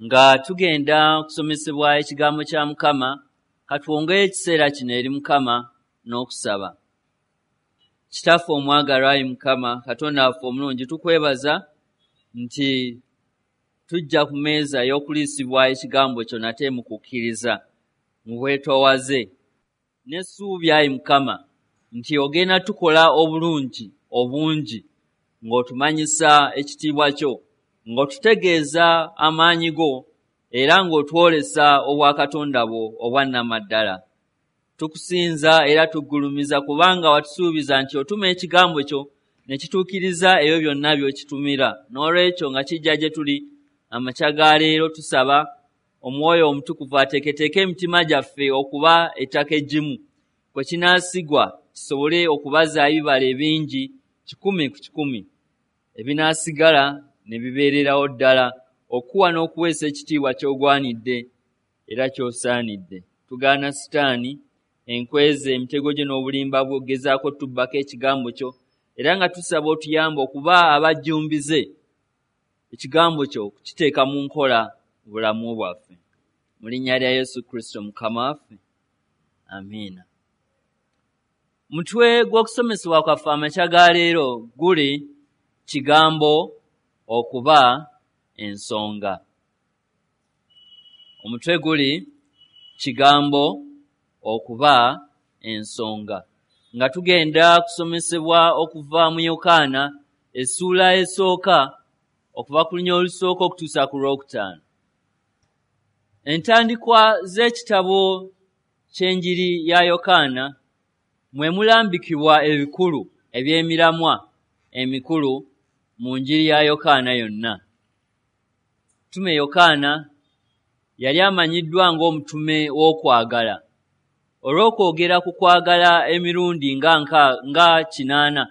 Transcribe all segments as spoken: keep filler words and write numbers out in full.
Nga tugenda okusomesebwa ekigambo kya Mukama, katwongeyo ekiseera kino eri Mukama n'okusaba. Kitaffe omwagalwa, ayi Mukama Katonda waffe omulungi, tukwebaza nti tujja ku mmeeza ey'okuliisibwa ekigambo kyo nate mu kukkiriza, mu bwetoowaze n'essuubi, ayi Mukama, nti ogenda tukola obulungi obungi ng'otumanyisa ekitiibwa kyo, ng'otutegeeza amaanyi go, era ng'otwolesa obwakatonda bwo obwannamaddala. Tukusinza era tuggulumiza kubanga watusuubiza nti otuma ekigambo kyo ne kituukiriza ebyo byonna by'okitumira. N'olwekyo nga kijja gye tuli amakya ga leero, tusaba Omwoyo Omutukuvu ateeketeeke emitima gyaffe okuba ettaka eggimu kwe kinaasigwa, kisobole okubaza ebibala ebingi kikumi ku kikumi, ebinaasigala ne bibeererawo ddala okuwa n'okuweesa ekitiibwa ky'ogwanidde era ky'osaanidde. Tugaana Sitaani, enkweze, emitego gye n'obulimba bwe ogezaako tubbako ekigambo kyo, era nga tusaba otuyambe okuba abajjumbize ekigambo kyo okukiteeka mu nkola mu bulamu bwaffe. Mu linnya lya Yesu Kristo Mukama waffe, amiina. Mutwe gw'okusomesebwa kwaffe amakya ga leero guli kigambo okuba ensonga. Omutwe guli kigambo okuba ensonga. Nga tugenda kusomesebwa okuva mu Yokaana essuula esooka, okuva ku lunya olusooka okutuusa ku lwokutaano. Entandikwa z'ekitabo ky'enjiri ya Yokaana mwe mulambikibwa ebikulu eby'emiramwa emikulu mu njiri ya Yokaana yonna. Mutume Yokaana yali amanyiddwa ng'omutume w'okwagala olw'okwogera ku kwagala emirundi nga nka nga kinaana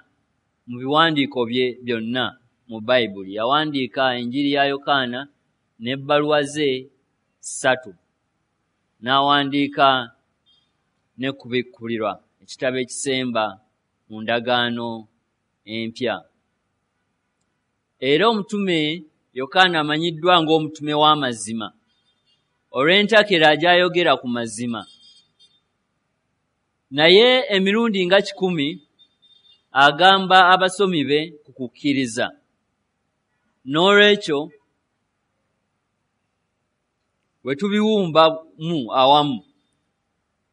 mu biwandiiko bye byonna mu Bayibuli. Yawandiika enjiri ya Yokaana n'ebbaluwa ze ssatu, n'awandiika ne Kubikkulirwa, ekitabo ekisemba mu ndagaano empya. Era omutume Yokaana amanyiddwa ng'omutume w'amazima olw'entakera gy'ayogera ku mazima. Naye emirundi nga kikumi agamba abasomi be ku kukkiriza. N'olwekyo bwe tubiwumbamu awamu,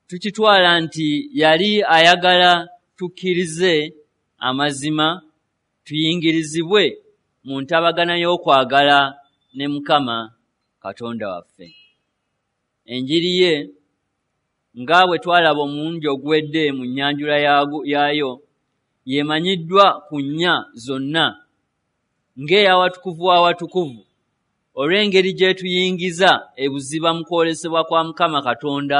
tukitwala nti yali ayagala tukkirize amazima, tuyingirizibwe mu ntabagana y'okwagala ne Mukama Katonda waffe. Enjiri ye nga bwe twalaba omulundi oguwedde mu nnyanjula yaayo, y'emanyiddwa ku nnya zonna ng'ey'awatukuvu w'awatukuvu olw'engeri gy'etuyingiza ebuziba mu kwolesebwa kwa Mukama Katonda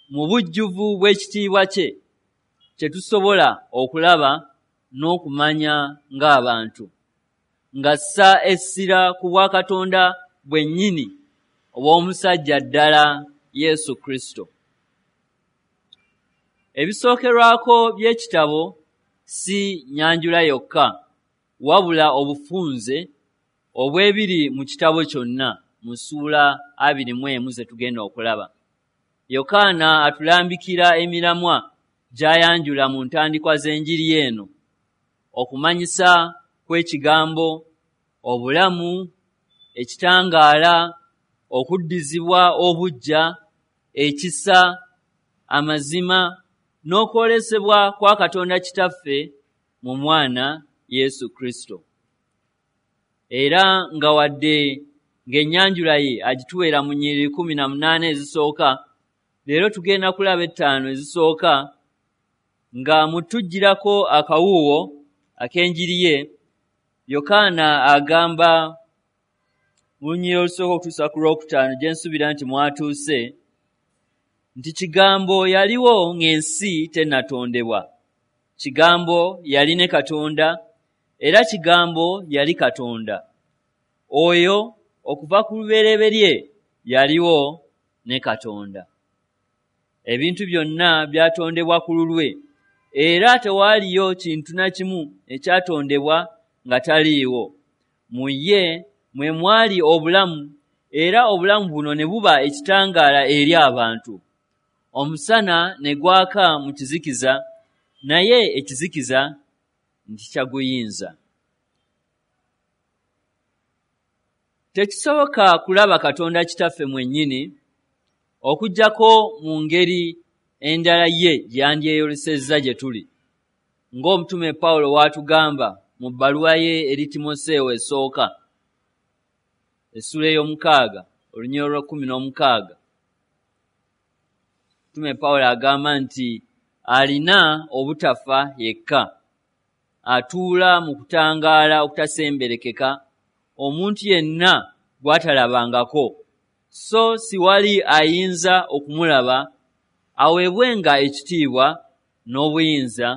mu bujjuvu bw'ekitiibwa kye, kye tusobola okulaba n'okumanya ng'abantu, ng'assa essira ku bwakatonda bwennyini obw'omusajja ddala Yesu Kristo. Ebisookerwako by'ekitabo si nnyanjula yokka, wabula obufunze obw'ebiri mu kitabo kyonna mu ssuula abiri mu emu ze tugenda okulaba. Yokaana atulambikira emiramwa gy'ayanjula mu ntandikwa z'enjiri eno: okumanyisa kw'ekigambo, obulamu, ekitangaala, okuddizibwa obuggya, ekisa, amazima n'okwolesebwa kwa Katonda Kitaffe mu Mwana Yesu Kristo. Era nga wadde ng'ennyanjula ye agituweera mu nnyiriri kkumi na munaana ezisooka, leero tugenda kulaba ettaano ezisooka nga mu tuggyirako akawuuwo ak'enjiri ye. Yokaana agamba mu lunyiriri olusooka okutuusa ku lwokutaano, gye nsuubira nti mwatuuse, nti Kigambo yaliwo ng'ensi tennatondebwa. Kigambo yali ne Katonda, era Kigambo yali Katonda. Oyo okuva ku lubereberye yaliwo ne Katonda. Ebintu byonna byatondebwa ku lulwe, era tewaaliyo kintu na kimu ekyatondebwa nga taliiwo. Mu ye mwe mwali obulamu, era obulamu buno ne buba ekitangaala eri abantu. Omusana ne gwaka mu kizikiza, naye ekizikiza ntikyaguyinza. Tekisoboka kulaba Katonda Kitaffe mwennyini okuggyako mu ngeri endala ye gy'andyeyolesezza gye tuli, ng'omutume Pawulo w'atugamba mu bbaluwa ye eri Timoseewo esooka essuula ey'omukaaga olunyiriri olw'ekkumi n'omukaaga. Omutume Pawulo agamba nti alina obutafa yekka, atuula mu kutangaala okutasemberekeka, omuntu yenna gw'atalabangako, so siwali ayinza okumulaba, aweebwenga ekitiibwa n'obuyinza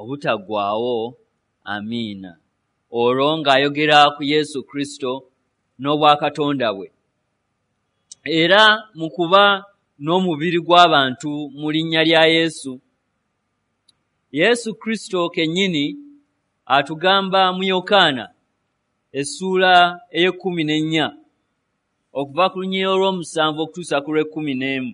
obutaggwaawo. Amiina. Olwo ng'ayogera ku Yesu Kristo n'obwakatonda bwe. Era mu kuba n'omubiri gw'abantu mu linnya lya Yesu, Yesu Kristo kennyini atugamba mu Yokaana essuula ey'ekkumi n'ennya okuva ku lunyiriri olw'omusanvu okutuusa ku lw'ekkumi n'emu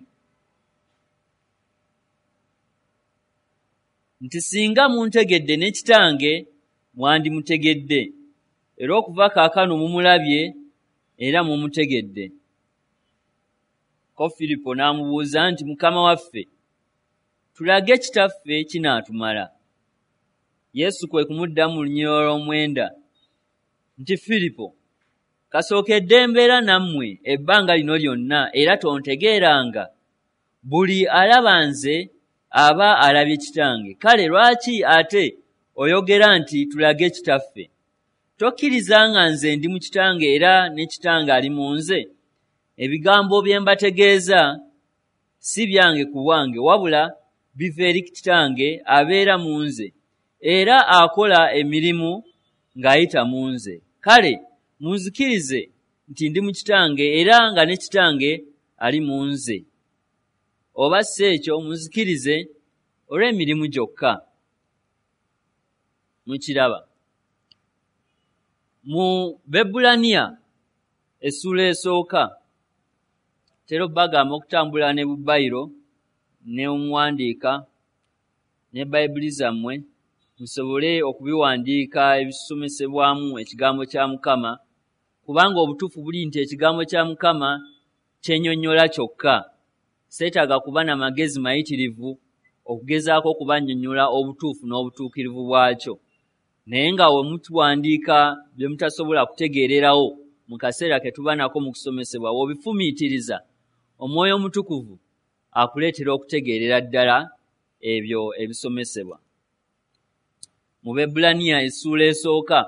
nti singa muntegedde ne Kitange mwandimutegedde, era okuva kaakano mumulabye era mumutegedde. Ko Firipo n'amubuuza nti Mukama waffe, tulage Kitaffe kinaatumala. Yesu kwe kumuddamu mu lunyiriri olw'omwenda nti Firipo, kasookedde mbeera nammwe ebbanga lino lyonna era tontegeeranga? Buli alaba nze aba alabye Kitange. Kale lwaki ate oyogera nti tulage Kitaffe? Tokkiriza nga nze ndi mu Kitange era ne Kitange ali mu nze? Ebigambo bye mbategeeza si byange ku bwange, wabula biva eri Kitange abeera mu nze, era akola emirimu ng'ayita mu nze. Kale munzikirize nti ndi mu Kitange era nga ne Kitange ali mu nze. Oba si ekyo munzikirize olw'emirimu gyokka. Mukiraba. Mu Bebbulaniya essuula esooka, tera bagamba okutambula ne bubayiro ne omuwandiika ne Bayibuli zammwe musobole okubiwandiika ebisomesebwamu ekigambo kya Mukama, kubanga obutuufu buli nti ekigambo kya Mukama kyennyonnyola kyokka. Seetaaga kuba na magezi mayitirivu okugezaako okubannyonnyola obutuufu n'obutuukirivu bwakyo. Naye nga we mutuwandiika bye mutasobola kutegeererawo mu kaseera ke tuba nako mu kusomesebwa, w'obifumiitiriza Omwoyo Omutukuvu akuleetera okutegeerera ddala ebyo ebisomesebwa. Mu Bebbulaniya essuula esooka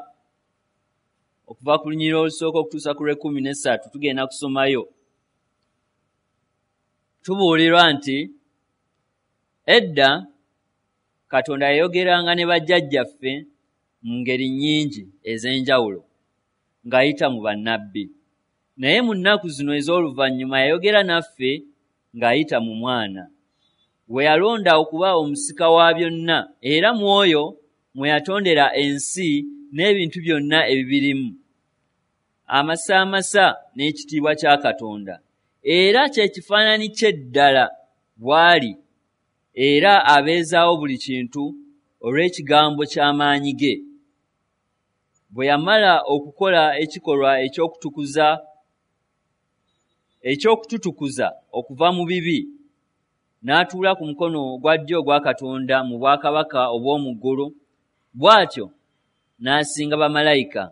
okuva ku lunyiriri olusooka okutuusa ku lw'ekkumi n'essatu tugenda kusomayo. Tubuulirwa nti edda Katonda yayogeranga ne bajjajjaffe mu ngeri nnyingi ez'enjawulo ng'ayita mu bannabbi. Naye mu nnaku zino ez'oluvannyuma yayogera naffe ng'ayita mu Mwana, we yalonda okuba omusika wa byonna, era mu oyo mwe yatondera ensi n'ebintu byonna ebibirimu, amasaamasa n'ekitiibwa kya Katonda, era kye kifaananyi kye ddala bw'ali, era abeezaawo buli kintu olw'ekigambo ky'amaanyi ge. Bwe yamala okukola ekikolwa eky'okutukuza eky'okututukuza okuva mu bibi, n'atuula ku mukono ogwa ddyo ogwa Katonda mu bwakabaka obw'omu ggulu, bw'atyo n'asinga bamalayika,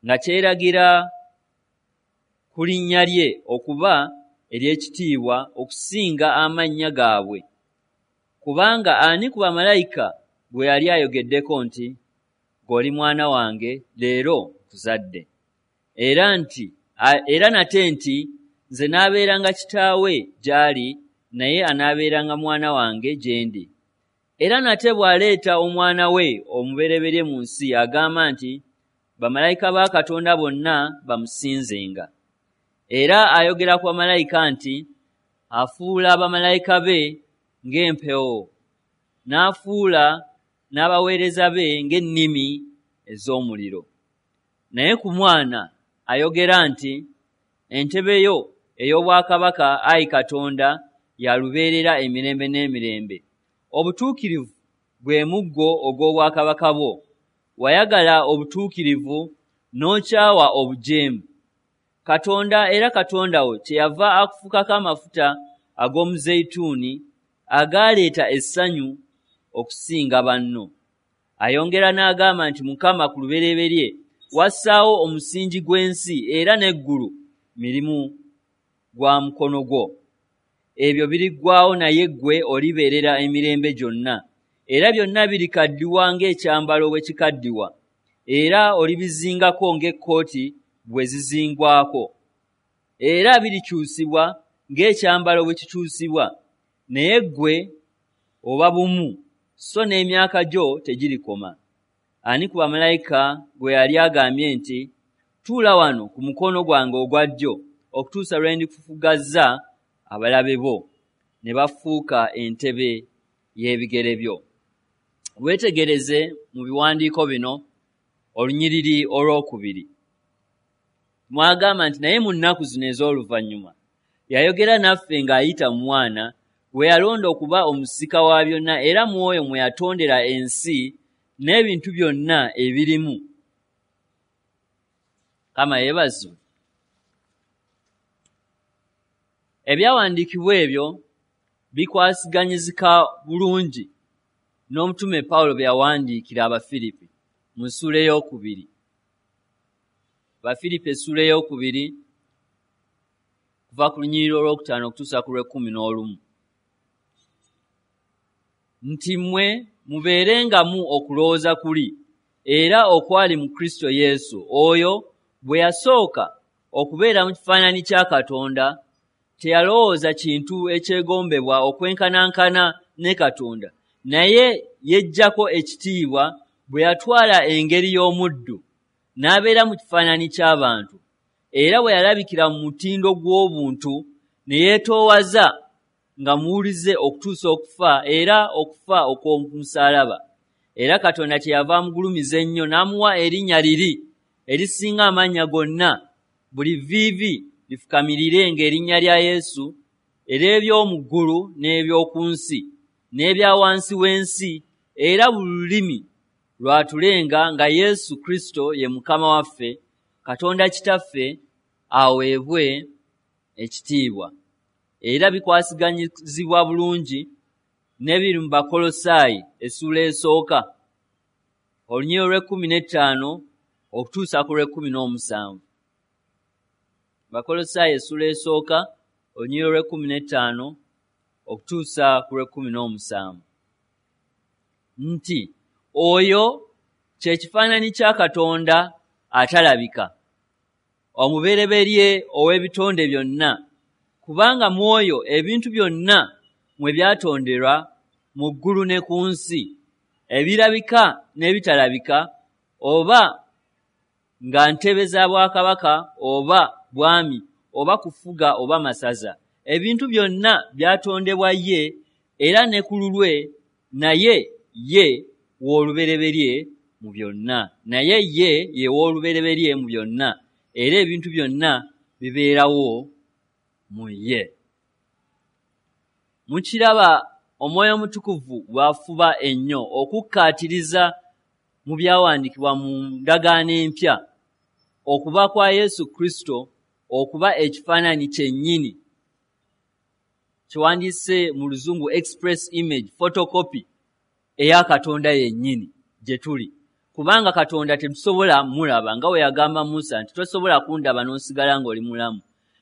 nga kyeragira ku linnya lye okuba ery'ekitiibwa okusinga amannya gaabwe. Kubanga ani ku bamalayika gwe yali ayogeddeko nti, "Ggwe mwana wange, leero nkuzadde"? Era nti era nate nti, "Nze naabeeranga kitaawe gy'ali, naye anaabeeranga mwana wange gye ndi." Era nate bw'aleeta omwana we omubereberye mu nsi, agamba nti, "Bamalayika ba Katonda bonna bamusinzenga." Era ayogera ku bamalayika nti, "Afuula bamalayika be ng'empewo, n'afuula n'abaweereza be ng'ennimi ez'omuliro." Naye ku Mwana ayogera nti, entebe yo ey'obwakabaka, ayi Katonda, ya lubeerera emirembe n'emirembe. Obutuukirivu gwe muggo ogw'obwakabaka bwo. Wayagala obutuukirivu n'okyawa obujeemu. Katonda era Katonda wo kyeyava akufukako amafuta ag'omuzeyituuni agaaleeta essanyu okusinga banno. Ayongera n'agamba nti, Mukama, ku lubereberye wassaawo omusingi gw'ensi, era n'eggulu mirimu gwa mukono gwo. Ebyo biriggwaawo, naye ggwe olibeerera emirembe gyonna. Era byonna birikaddiwa ng'ekyambalo bwe kikaddiwa, era olibizingako ng'ekkooti bwe zizingwako. Era birikyusibwa ng'ekyambalo bwe kikyusibwa, naye ggwe oba bumu, so n'emyaka gyo tegirikoma. Ani ku bamalayika gwe yali agambye nti, tuula wano ku mukono gwange ogwa ddyo okutuusa lwe ndikufugazza abalabe bo ne bafuuka entebe y'ebigere byo? Weetegereze mu biwandiiko bino olunyiriri olwokubiri. Mwagamba nti, naye mu nnaku zino ez'oluvannyuma yayogera naffe ng'ayita mu Mwana, gwe yalonda okuba omusika wa byonna, era mu oyo mwe yatondera ensi n'ebintu byonna ebirimu. Mukama yeebazibwe. Ebyawandiikibwa ebyo bikwasiganyizika bulungi n'omutume Pawulo bye yawandiikira Abafiripi mu ssuula ey'okubiri. Abafiripi essuula ey'okubiri kuva ku lunyiriri olwokutaano okutuusa ku lw'ekkumi n'olumu. Nti mmwe mubeerengamu okulowooza kuli era okwali mu Kristo Yesu, oyo bwe yasooka okubeera mu kifaananyi kya Katonda, teyalowooza kintu ekyegombebwa okwenkanankana ne Katonda, naye yeggyako ekitiibwa bwe yatwala engeri y'omuddu, n'abeera mu kifaananyi ky'abantu. Era bwe yalabikira mu mutindo gw'obuntu, ne yeetoowaza nga muwulize okutuusa okufa, era okufa okw'omusaalaba. Era Katonda kyeyava amugulumiza ennyo n'amuwa erinnya liri erisinga amannya gonna, buli vviivi lifukamirire ng'erinnya lya Yesu, ery'eby'omu ggulu n'eby'oku nsi n'ebya wansi w'ensi, era buli lulimi lwatulenga nga Yesu Kristo ye Mukama waffe, Katonda Kitaffe aweebwe ekitiibwa. Era bikwasiganyizibwa bulungi n'ebiri mu Bakolosaayi essuula esooka olunyiriri olw'ekkumi n'ettaano okutuusa ku lw'ekkumi n'omusanvu. Bakolosaayi essuula esooka olunyiriri olw'ekkumi n'ettaano okutuusa ku lw'ekkumi n'omusanvu. Nti oyo kye kifaananyi kya Katonda atalabika, omubereberye ow'ebitonde byonna, kubanga mu oyo ebintu byonna mwe byatonderwa mu ggulu ne ku nsi, ebirabika n'ebitalabika, oba nga ntebe za bwakabaka oba bwami oba kufuga oba masaza. Ebintu byonna byatondebwa ye era ne ku lulwe, naye ye w'olubereberye mu byonna. Naye ye ye w'olubereberye mu byonna, era ebintu byonna bibeerawo mu ye. Mukiraba Omwoyo Omutukuvu bw'afuba ennyo okukkaatiriza mu byawandiikibwa mu ndagaano empya okuba kwa Yesu Kristo okuba ekifaananyi kyennyini kyewandiise mu luzungu express image, photocopy eya Katonda yennyini gye tuli. Kubanga Katonda tetusobola mulaba, nga bwe yagamba Musa nti tosobola kundaba n'osigala ng'oli mulamu.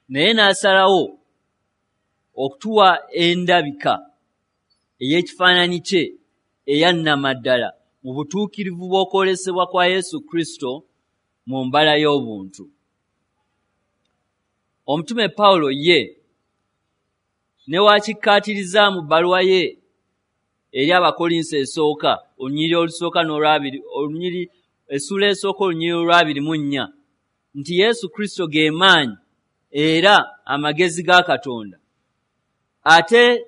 Naye n'asalawo okutuwa endabika ey'ekifaananyi kye eya nnamaddala mu butuukirivu bw'okwolesebwa kwa Yesu Kristo mu mbala y'obuntu. Omutume Pawulo ye ne wakikkaatiriza mu bbaluwa ye eri Abakolinso esooka olunyiriri olusooka n'olwabiri, olunyiriri essuula esooka olunyiriri olwabiri mu nnya, nti Yesu Kristo ge maanyi era amagezi ga Katonda. Ate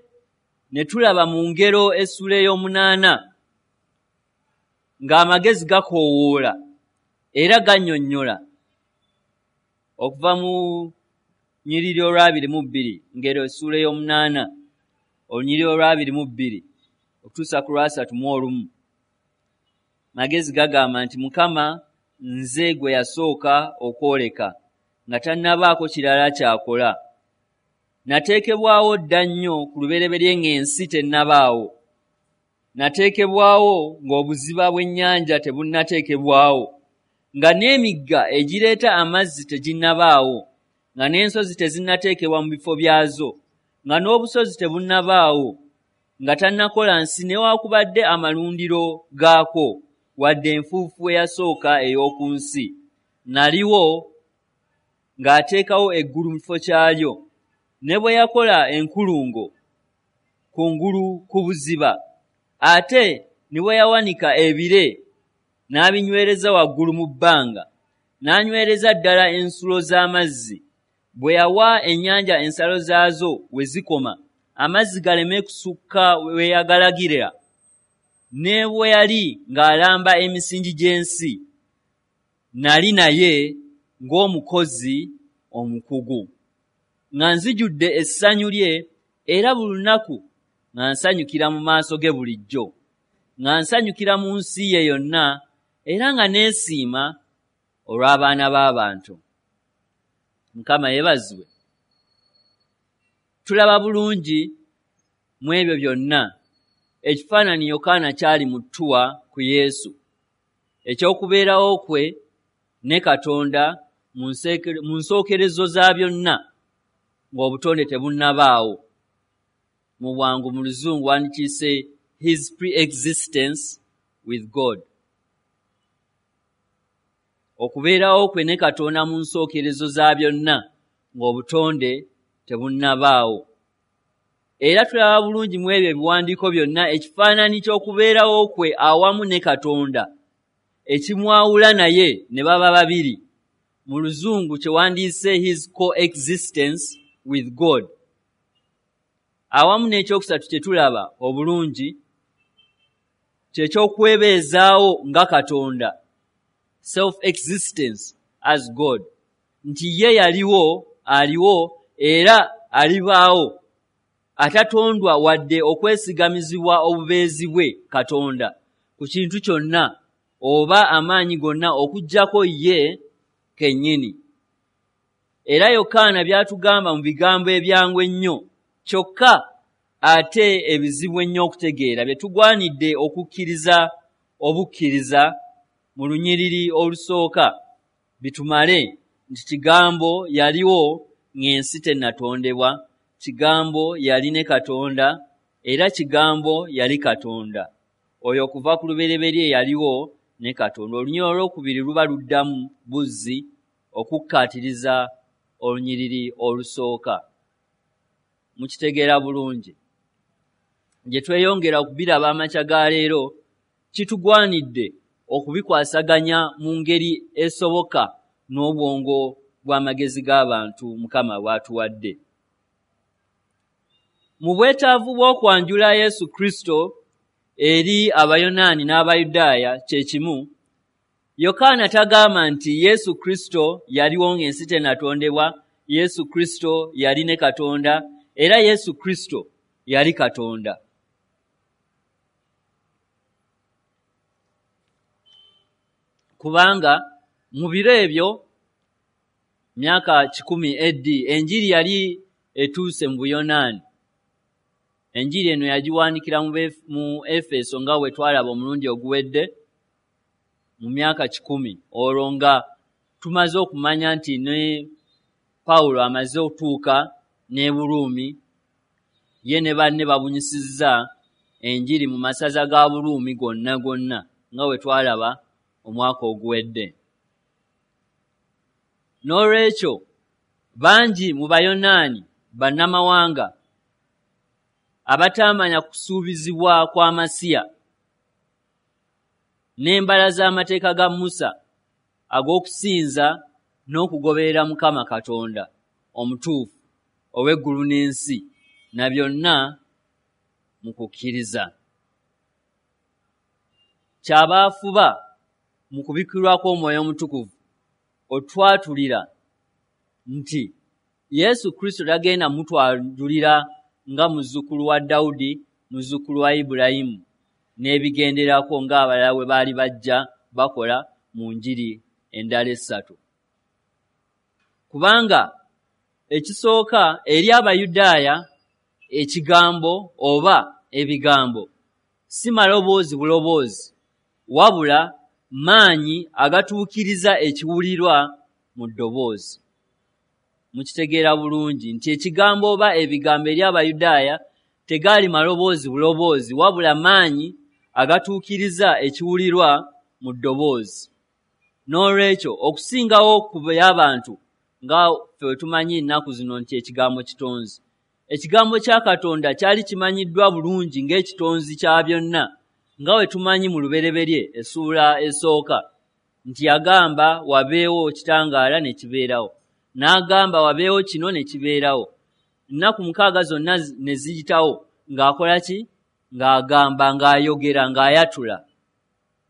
ne tulaba mu ngero essuula ey'omunaana ng'amagezi gakoowoola era gannyonnyola Okuva mu nyiriri olwabiri mu bbiri, Ngero essuula ey'omunaana, olunyiriri olwabiri mu bbiri okutuusa ku lwasatu mu olumu, magezi gagamba nti Mukama nze gwe yasooka okwoleka nga tannabaako kirala ky'akola. Nateekebwawo dda nnyo ku lubereberye ng'ensi tennabaawo. Nateekebwawo ng'obuziba bw'ennyanja tebunnateekebwawo, nga n'emigga egireeta amazzi teginnabaawo, nga n'ensozi tezinnateekebwa mu bifo byazo, nga n'obusozi tebunnabaawo, nga tannakola nsi newaakubadde amalundiro gaakwo, wadde enfuufu eyasooka ey'oku nsi. Naliwo ng'ateekawo eggulu mu kifo kyalyo, ne bwe yakola enkulungo kungulu ku buziba, ate ne bwe yawanika ebire n'abinywereza waggulu mu bbanga, n'anywereza ddala ensulo z'amazzi, bwe yawa ennyanja ensalo zaazo we zikoma, amazzi galeme kusukka we yagalagira, ne bwe yali ng'alamba emisingi gy'ensi, nali naye ng'omukozi omukugu, nga nzijudde essanyu lye, era buli lunaku nga nsanyukira mu maaso ge bulijjo, nga nsanyukira mu nsi ye yonna, era nga neesiima olw'abaana b'abantu. Mukama yeebazibwe. Tulaba bulungi mu ebyo byonna ekifaananyi Yokaana kyali mu ttuwa ku Yesu, eky'okubeerawo kwe ne Katonda mu nsookerezo za byonna ng'obutonde tebunnabaawo. Mu bwangu mu Luzungu wandikiise his pre-existence with God. Okubeerawo kwe ne Katonda mu nsookerezo za byonna ng'obutonde tebunnabaawo. Era tulaba bulungi mu ebyo ebiwandiiko byonna ekifaananyi ky'okubeerawo kwe awamu ne Katonda, ekimwawula naye ne baba babiri. Mu Luzungu kyewandiise his coexistence with God. Awamu n'ekyokusatu kye tulaba obulungi kye ky'okwebeezaawo nga Katonda, self-existence as God, nti ye yaliwo, aliwo, era alibaawo, atatondwa wadde okwesigamizibwa obubeezi bwe Katonda ku kintu kyonna oba amaanyi gonna okuggyako ye kennyini. Era Yokaana by'atugamba mu bigambo ebyangu ennyo kyokka ate ebizibu ennyo okutegeera bye tugwanidde okukkiriza obukkiriza mu lunyiriri olusooka bitumale nti Kigambo yaliwo ng'ensi tennatondebwa, Kigambo yali ne Katonda, era Kigambo yali Katonda. Oyo okuva ku lubereberye yaliwo ne Katonda. Olunyiriri olwokubiri luba luddamu buzzi okukkaatiriza olunyiriri olusooka. Mukitegeera bulungi. Gye tweyongera okubiraba amakya ga leero, kitugwanidde okubikwasaganya mu ngeri esoboka n'obwongo bw'amagezi g'abantu Mukama bw'atuwadde. Mu bwetaavu bw'okwanjula Yesu Kristo eri Abayonaani n'Abayudaaya kye kimu, Yokaana tagamba nti Yesu Kristo yaliwo ng'ensi tennatondebwa, Yesu Kristo yali ne Katonda, era Yesu Kristo yali Katonda. Kubanga mu biro ebyo, myaka kikumi A D, enjiri yali etuuse mu Buyonaani. Enjiri eno yagiwandiikira mu Efeso nga bwe twalaba omulundi oguwedde mu myaka kikumi, olwo nga tumaze okumanya nti ne Pawulo amaze okutuuka n'e Buruumi, ye ne banne babunyisizza enjiri mu masaza ga Buruumi gonna gonna nga bwe twalaba omwaka oguwedde. N'olwekyo bangi mu Bayonaani bannamawanga abataamanya kusuubizibwa kwa Masiya n'embala z'amateeka ga Musa ag'okusinza n'okugoberera Mukama Katonda omutuufu ow'eggulu n'ensi, na byonna mu kukkiriza. Kyabaafuba mu kubikkulirwa kw'Omwoyo Omutukuvu otwatulira nti Yesu Kristo tagenda mutwajulira nga muzzukulu wa Dawudi, muzzukulu wa Ibulayimu n'ebigenderako ng'abalala bwe baali bajja bakola mu njiri endala essatu. Kubanga ekisooka eri Abayudaaya ekigambo oba ebigambo si maloboozi buloboozi, wabula maanyi agatuukiriza ekiwulirwa mu ddoboozi. Mukitegeera bulungi nti ekigambo oba ebigambo eri Abayudaaya tegaali maloboozi buloboozi, wabula maanyi agatuukiriza ekiwulirwa mu ddoboozi. N'olwekyo okusingawo ku by'abantu nga ffe bwe tumanyi ennaku zino nti ekigambo kitonzi, ekigambo kya Katonda kyali kimanyiddwa bulungi ng'ekitonzi kya byonna, nga bwe tumanyi mu Lubereberye essuula esooka nti yagamba wabeewo kitangaala ne kibeerawo, n'agamba wabeewo kino ne kibeerawo. Ennaku mukaaga zonna ne ziyitawo ng'akola ki? Ng'agamba, ng'ayogera, ng'ayatula.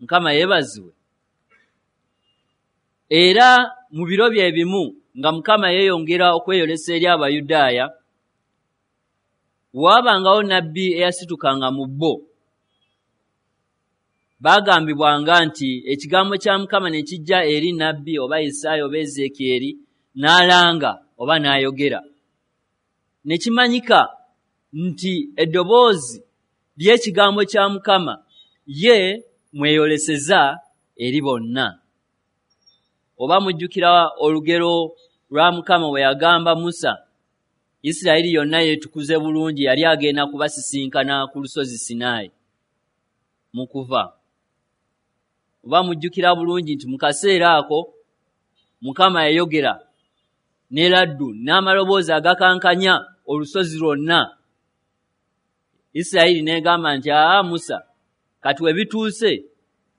Mukama yeebazibwe. Era mu biro bye bimu nga Mukama yeeyongera okweyolesa eri Abayudaaya, waabangawo nnabbi eyasitukanga mu bo. Baagambibwanga nti ekigambo kya Mukama ne kijja eri nnabbi oba Isaaya oba Ezeekyeri n'alanga oba n'ayogera. Ne kimanyika nti eddoboozi ly'ekigambo kya Mukama ye mweyoleseza eri bonna. Oba mujjukira olugero lwa Mukama bwe yagamba Musa, Isirayiri yonna yeetukuze bulungi, yali agenda kubasisinkana ku lusozi Sinaayi mu kuva. Oba mujjukira bulungi nti mu kaseera ako Mukama yayogera ne laddu n'amaloboozi agakankanya olusozi lwonna. Isirayiri n'egamba nti aa Musa, kati we bituuse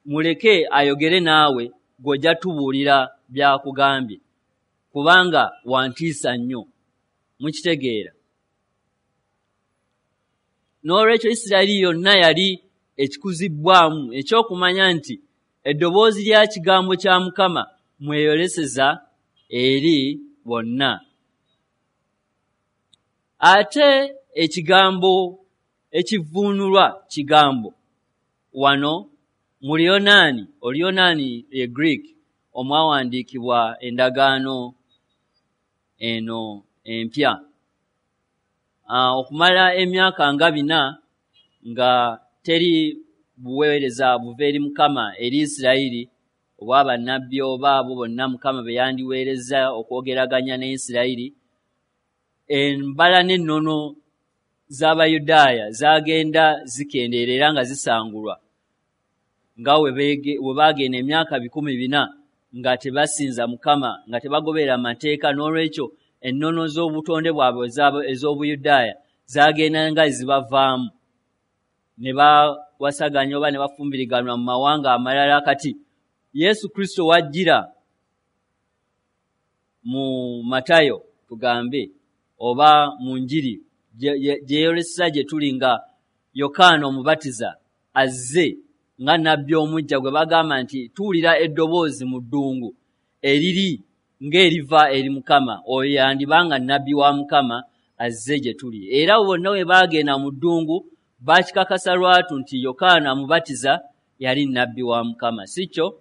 muleke ayogere naawe, gw'ojja tubuulira by'akugambye, kubanga wantiisa nnyo. Mukitegeera? N'olwekyo Isirayiri yonna yali ekikuzibbwamu ekyokumanya nti eddoboozi lya kigambo kya Mukama mweyoleseza eri bonna. Ate ekigambo ekivvuunulwa kigambo wano mu Luyonaani, Oluyonaani ye Greek, omwawandiikibwa endagaano eno empya. Okumala emyaka nga bina nga teri buweereza buva eri Mukama eri Isirayiri obwa bannabbi oba abo bonna Mukama be yandiweereza okwogeraganya ne Isirayiri, embala n'ennono z'Abayudaaya zaagenda zikendeera era nga zisangulwa, nga we baagenda emyaka bikumi bina nga tebasinza Mukama, nga tebagoberera mateeka. N'olwekyo ennono z'obutonde bwabwe ez'Obuyudaaya zaagenda nga zibavaamu, ne bawasaganya oba ne bafumbiriganwa mu mawanga amalala. Kati Yesu Kristo wajjira mu Matayo tugambe oba mu Njiri gyeyoleseza gye tuli nga Yokaana Omubatiza azze nga nnabbi omujja gwe bagamba nti tuwulira eddoboozi mu ddungu eriri ng'eriva eri Mukama, oyo yandibanga nnabbi wa Mukama azze gye tuli. Era bonna bwe baagenda mu ddungu baakikakasa lwatu nti Yokaana Omubatiza yali nnabbi wa Mukama, si kyo?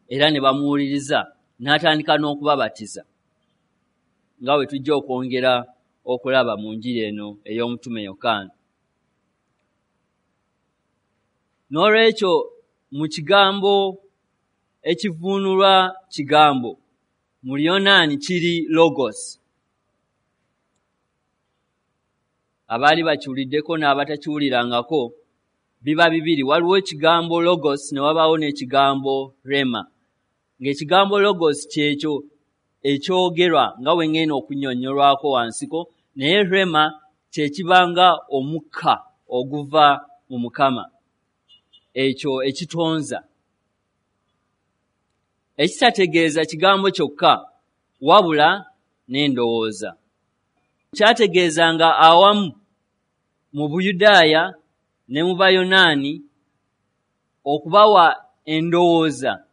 Era ne bamuwuliriza n'atandika n'okubabatiza, nga bwe tujja okwongera okulaba mu njiri eno ey'omutume Yokaana. N'olwekyo mu kigambo ekivvuunulwa kigambo mu Luyonaani kiri logos. Abaali bakiwuliddeko n'abatakiwulirangako biba bibiri, waliwo ekigambo logos ne wabaawo n'ekigambo rema. Ng'ekigambo logos kyekyo ekyogerwa nga bwe ngenda okunnyonnyolwako wansiko, naye rema kye kibanga omukka oguva mu Mukama, ekyo ekitonza, ekitategeeza kigambo kyokka wabula n'endowooza. Kyategeezanga awamu mu Buyudaaya ne mu Bayonaani okubawa endowooza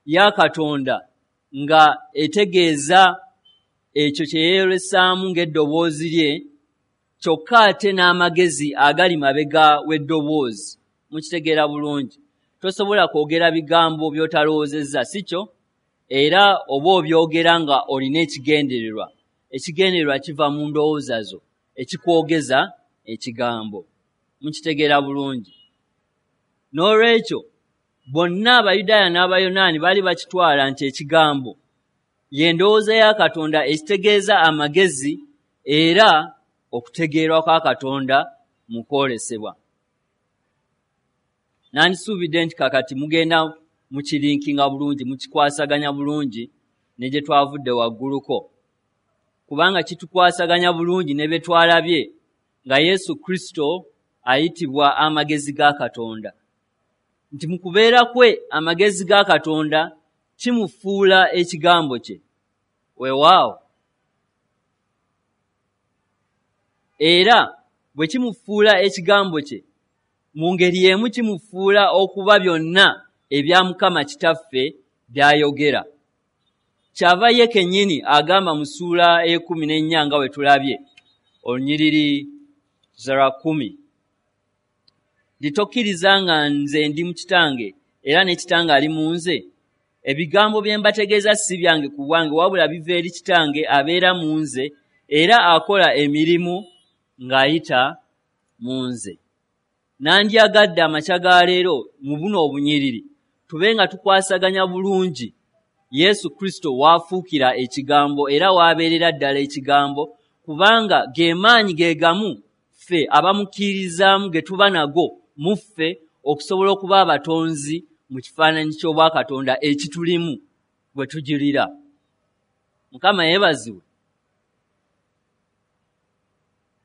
ya Katonda nga etegeeza ekyo kye yeeyolesaamu ng'eddoboozi lye, kyokka ate n'amagezi agali mabega w'eddoboozi. Mukitegeera bulungi. Tosobola kwogera bigambo by'otalowoozezza, si kyo? Era oba obyogera nga olina ekigendererwa. Ekigendererwa kiva mu ndowooza zo, ekikwogeza ekigambo. Mukitegeera bulungi. N'olwekyo bonna Abayudaaya n'Abayonaani baali bakitwala nti ekigambo ye ndowooza ya Katonda ekitegeeza amagezi era okutegeerwa kwa Katonda mu kwolesebwa. Nandisuubidde nti kakati mugenda mukirinkinga bulungi, mukikwasaganya bulungi ne gye twavudde wagguluko, kubanga kitukwasaganya bulungi ne bye twalabye nga Yesu Kristo ayitibwa amagezi ga Katonda, nti mu kubeera kwe amagezi ga Katonda kimufuula ekigambo kye. Weewaawo, era bwe kimufuula ekigambo kye, mu ngeri emu kimufuula okuba byonna ebya Mukama Kitaffe by'ayogera. Kyava ye kennyini agamba mu ssuula ey'ekkumi n'ennya nga bwe tulabye olunyiriri lwa kkumi nti tokkiriza nga nze ndi mu Kitange era ne Kitange ali mu nze. Ebigambo bye mbategeeza si byange ku bwange, wabula biva eri Kitange abeera mu nze era akola emirimu ng'ayita mu nze. Nandyagadde amakya ga leero mu buno obunyiriri tube nga tukwasaganya bulungi Yesu Kristo w'afuukira ekigambo era w'abeerera ddala ekigambo, kubanga ge maanyi ge gamu ffe abamukkirizaamu ge tuba nago mu ffe okusobola okuba abatonzi mu kifaananyi ky'Obwakatonda ekitulimu bwe tujulira. Mukama yeebazibwe.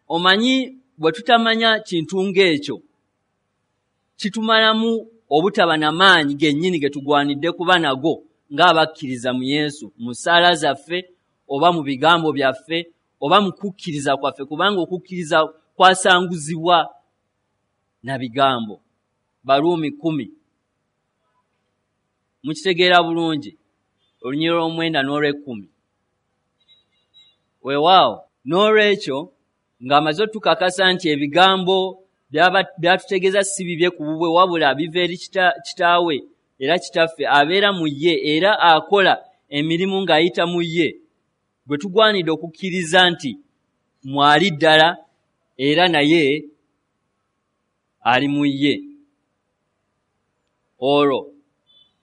Omanyi bwe tutamanya kintu ng'ekyo kitumalamu obutaba na maanyi gennyini ge tugwanidde kuba nago ng'abakkiriza mu Yesu, mu ssaala zaffe oba mu bigambo byaffe oba mu kukkiriza kwaffe, kubanga okukkiriza kwasanguzibwa na bigambo. Baruumi kkumi. Mukitegeera bulungi olunyiriri olw'omwenda n'olw'ekkumi. Weewaawo, n'olwekyo ng'amaze otukakasa nti ebigambo byatutegeeza si bibye ku bubwe, wabula biva eri Kitaawe era Kitaffe abeera mu ye era akola emirimu ng'ayita mu ye, gwe tugwanidde okukkiriza nti mwali ddala era naye ali mu ye. Olwo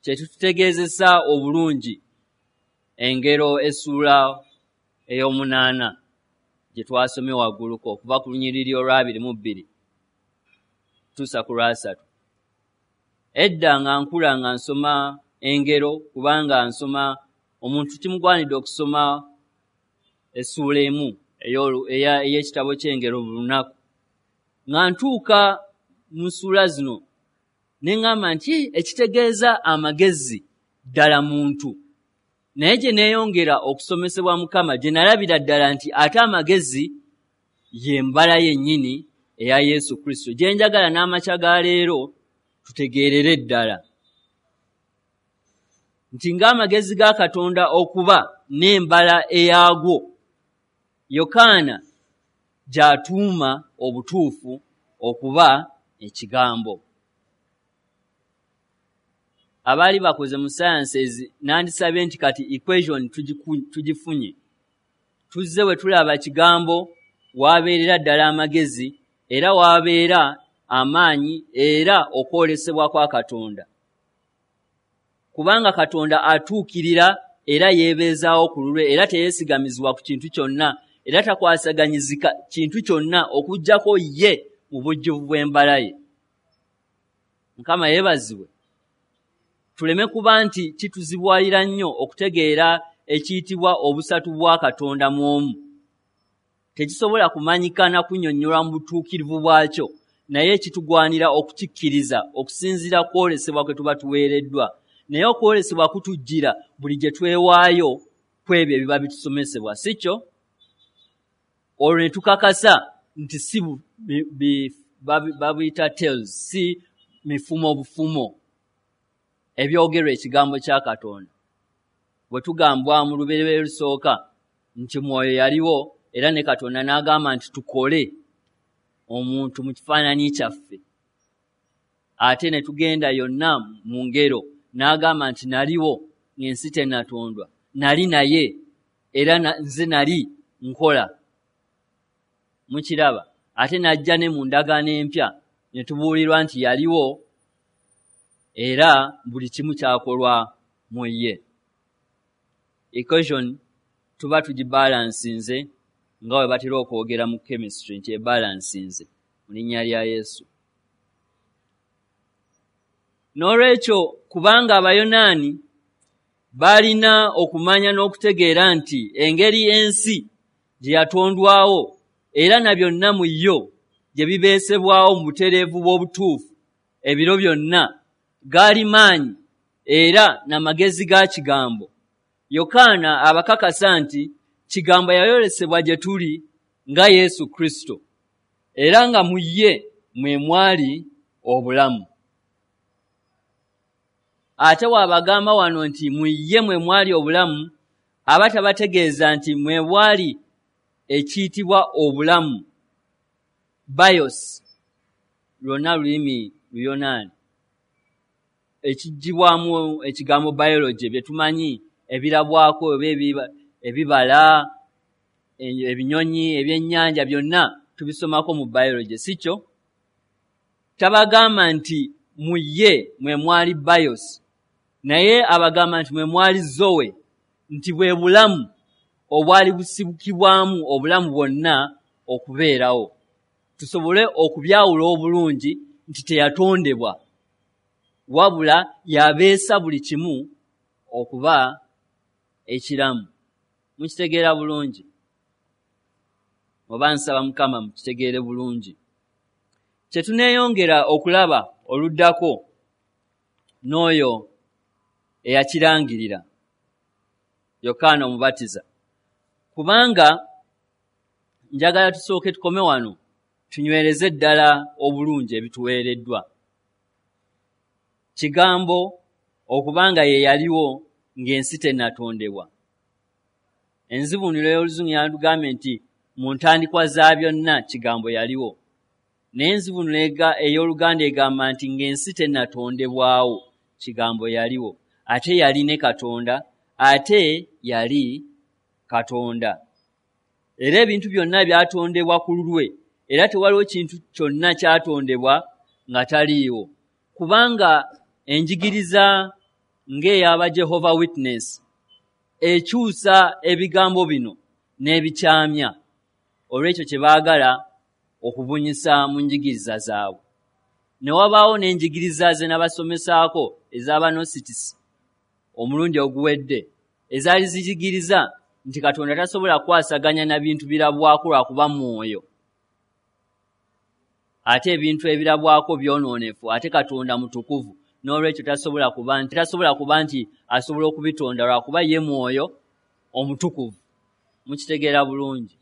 kye kitutegeezesa obulungi engero essuula ey'omunaana gye twasomye wagguluko okuva ku lunyiriri olw'abiri mu bbiri tuusa ku lwasatu. Edda nga nkula nga nsoma engero, kubanga nsoma omuntu kimugwanidde okusoma essuula emu ey'ekitabo ky'engero buli lunaku. Nga ntuuka mu ssuula zino ne ŋŋamba nti ekitegeeza amagezi ddala muntu. Naye gye neeyongera okusomesebwa Mukama gye nalabira ddala nti ate amagezi ye mbala yennyini eya Yesu Kristo, gye njagala n'amakya ga leero tutegeerere ddala nti ng'amagezi ga Katonda okuba n'embala eyaagwo, Yokaana gy'atuuma obutuufu okuba ekigambo. Abaali bakoze mu sciences nandisabye nti kati equation tugifunye. Tuzze bwe tulaba kigambo w'abeerera ddala amagezi era w'abeera amaanyi era okwolesebwa kwa Katonda, kubanga Katonda atuukirira era yeebeezaawo ku lulwe era teyeesigamizibwa ku kintu kyonna era takwasaganyizika kintu kyonna okuggyako ye mu bujjuvu bw'embala ye. Mukama yeebazibwe. Tuleme kuba nti kituzibwalira nnyo okutegeera ekiyitibwa obusatu bwa Katonda mu omu. Tekisobola kumanyika na kunnyonnyolwa mu butuukirivu bwakyo, naye kitugwanira okukikkiriza okusinziira kwolesebwa kwe tuba tuweereddwa. Naye okwolesebwa kutujjira buli gye twewaayo ku ebyo ebiba bitusomesebwa, si kyo? Olwo ne tukakasa nti si babuyita tales, si mifumo bufumo ebyogerwa ekigambo kya Katonda. Bwe tugambwa mu lubereberye lusooka nti Mwoyo yaliwo, era ne Katonda n'agamba nti tukole omuntu mu kifaananyi kyaffe. Ate ne tugenda yonna mu ngero n'agamba nti naliwo ng'ensi tennatondwa, nali naye era nze nali nkola. Mukiraba? Ate n'ajja ne mu ndagaano empya ne tubuulirwa nti yaliwo era buli kimu kyakolwa mu ye. Equation tuba tugibalansinze nga bwe batera okwogera mu chemistry nti ebalansinze mu linnya lya Yesu. N'olwekyo kubanga Abayonaani baalina okumanya n'okutegeera nti engeri ensi gye yatondwawo era na byonna mu yo gye bibeesebwawo mu butereevu bw'obutuufu ebiro byonna gaali maanyi era n'amagezi ga Kigambo. Yokaana abakakasa nti Kigambo yayolesebwa gye tuli nga Yesu Kristo, era nga mu ye mwe mwali obulamu. Ate wabagamba wano nti mu ye mwe mwali obulamu, aba tabategeeza nti mwe bwali ekiyitibwa obulamu, bios, lwonna lulimi Luyonaani, ekiggyibwamu ekigambo biology bye tumanyi ebirabwako oba ebibala, ebinyonyi, ebyennyanja byonna tubisomako mu biology, si kyo? Tabagamba nti mu ye mwe mwali bios, naye abagamba nti mwe mwali zoe, nti bwe bulamu obwali busibukibwamu obulamu bwonna okubeerawo, tusobole okubyawula obulungi nti teyatondebwa, wabula yabeesa buli kimu okuba ekiramu. Mukitegeera bulungi? Oba nsaba Mukama mukitegeere bulungi. Kye tuneeyongera okulaba oluddako n'oyo eyakirangirira, Yokaana Omubatiza. Kubanga njagala tusooke tukome wano tunywereze ddala obulungi ebituweereddwa. Kigambo okubanga ye yaliwo ng'ensi tennatondebwa. Enzivuunula ey'Oluzungu yatugambye nti mu ntandikwa za byonna Kigambo yaliwo. Naye enzivuunula ey'Oluganda egamba nti ng'ensi tennatondebwawo Kigambo yaliwo. Ate yali ne Katonda, ate yali Katonda. Era ebintu byonna byatondebwa ku lulwe, era tewaliwo kintu kyonna kyatondebwa nga taliiwo. Kubanga enjigiriza ng'ey'aba Jehovah Witness ekyusa ebigambo bino n'ebikyamya olw'ekyo kye baagala okubunyisa mu njigiriza zaabwe. Ne wabaawo n'enjigiriza ze nabasomesaako ez'Abanositisi omulundi oguwedde, ezaali ziyigiriza nti Katonda tasobola kukwasaganya na bintu birabwako lwakuba mwoyo, ate ebintu ebirabwako byonoonefu, ate Katonda mutukuvu, n'olwekyo tasobola kuba nti tasobola kuba nti asobola okubitonda lwakuba ye mwoyo omutukuvu. Mukitegeera bulungi?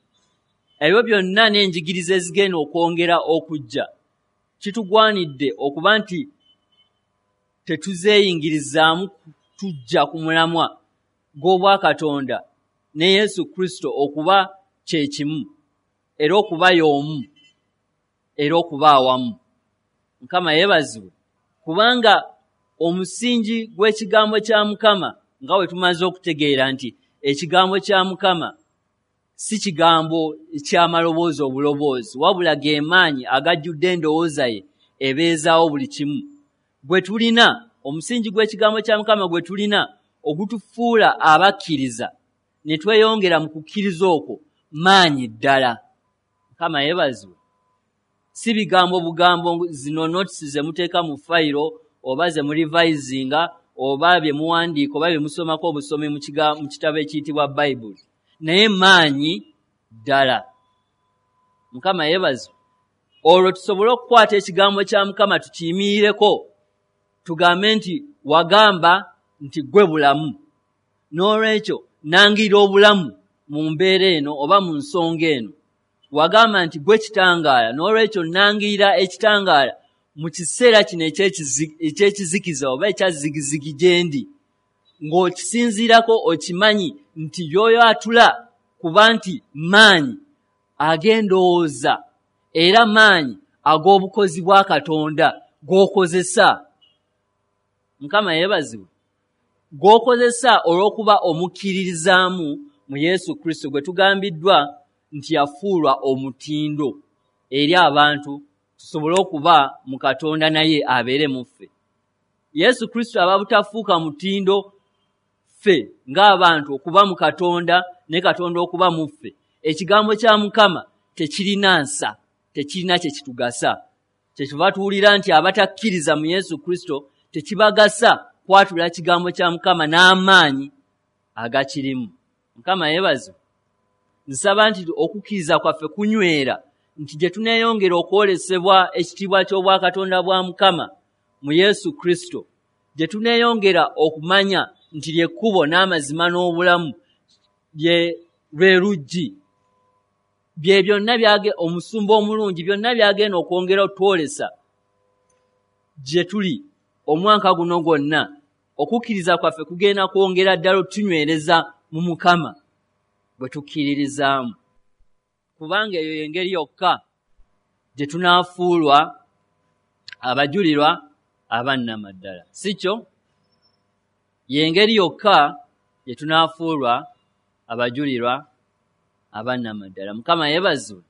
Ebyo byonna n'enjigiriza ezigenda okwongera okujja, kitugwanidde okuba nti tetuzeeyingirizaamu tujja ku mulamwa gw'Obwakatonda ne Yesu Kristo okuba kye kimu, era okuba y'omu, era okuba awamu. Mukama yeebazibwe, kubanga omusingi gw'ekigambo kya Mukama, nga bwe tumaze okutegeera nti ekigambo kya Mukama si kigambo ky'amaloboozi obuloboozi, wabula ge maanyi agajjudde endowooza ye ebeezaawo buli kimu. Gwe tulina, omusingi gw'ekigambo kya Mukama gwe tulina ogutufuula abakkiriza ne tweyongera mu kukkiriza okwo maanyi ddala. Mukama yeebazibwe. Si bigambo bugambo zino notes ze muteeka mu fayiro oba ze murevisinga oba bye muwandiika oba bye musomako obusomi mu kitabo ekiyitibwa Bayibuli, naye maanyi ddala. Mukama yeebazibwe. Olwo tusobole okukwata ekigambo kya Mukama tukiyimirireko, tugambe nti wagamba nti ggwe bulamu, n'olwekyo nangirira obulamu mu mbeera eno oba mu nsonga eno. Wagamba nti ggwe kitangaala, n'olwekyo nangirira ekitangaala mu kiseera kino eky'ekizikiza oba ekya zigizigi gye ndi. Ng'okisinziirako okimanyi nti by'oyatula kuba nti maanyi ag'endowooza era maanyi ag'obukozi bwa Katonda g'okozesa. Mukama yeebazibwe. G'okozesa olw'okuba omukkiririzaamu mu Yesu Kristo gwe tugambiddwa nti yafuulwa omutindo eri abantu tusobole okuba mu Katonda naye abeere mu ffe. Yesu Kristo aba butafuuka mutindo ffe ng'abantu okuba mu Katonda ne Katonda okuba mu ffe. Ekigambo kya Mukama tekirina nsa, tekirina kye kitugasa. Kyetuva tuwulira nti abatakkiriza mu Yesu Kristo tekibagasa kwatula kigambo kya Mukama n'amaanyi agakirimu. Mukama yeebazibwe. Nsaba nti okukkiriza kwaffe kunywera nti gye tuneeyongera okwolesebwa ekitiibwa ky'obwakatonda bwa Mukama mu Yesu Kristo, gye tuneeyongera okumanya nti ly'ekkubo n'amazima n'obulamu, lye lwe luggi, bye byonna byage omusumba omulungi byonna byagenda okwongera otwolesa gye tuli omwaka guno gwonna. Okukkiriza kwaffe kugenda kwongera ddala otunywereza mu Mukama bwe tukkiririzaamu, kubanga eyo y'engeri yokka gye tunaafuulwa abajulirwa abannamaddala. Si kyo? Y'engeri yokka gye tunaafuulwa abajulirwa abannamaddala. Mukama yeebazibwe.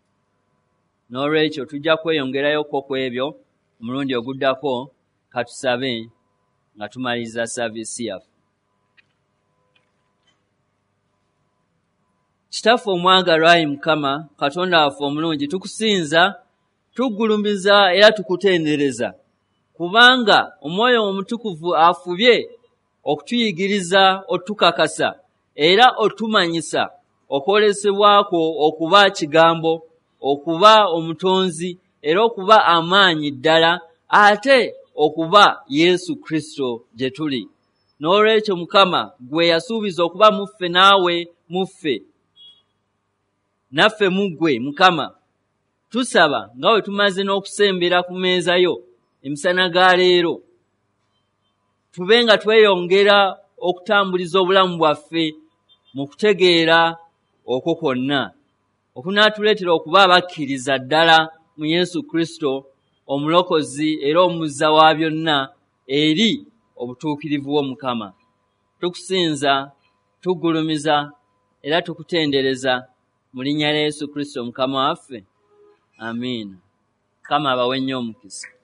N'olwekyo tujja kweyongerayokko ku ebyo omulundi oguddako. Katusabe nga tumaliriza saaviisi yaffe. Kitaffe omwagalwa, ayi Mukama Katonda waffe omulungi, tukusinza, tuggulumiza era tukutendereza, kubanga Omwoyo Omutukuvu afubye okutuyigiriza, otukakasa era otumanyisa okwolesebwa kwo okuba kigambo, okuba omutonzi era okuba amaanyi ddala, ate okuba Yesu Kristo gye tuli. N'olwekyo Mukama, gwe yasuubiza okuba mu ffe naawe mu ffe, naffe mu ggwe. Mukama, tusaba nga bwe tumaze n'okusembera ku mmeeza yo emisana ga leero, tube nga tweyongera okutambuliza obulamu bwaffe mu kutegeera okwo kwonna okunaatuleetera okuba abakkiriza ddala mu Yesu Kristo omulokozi era omuzza wa byonna eri obutuukirivu bwo. Mukama, tukusinza, tuggulumiza era tukutendereza mu linnya lya Yesu Kristo Mukama waffe. Amiina. Mukama abawe nnyo omukisa.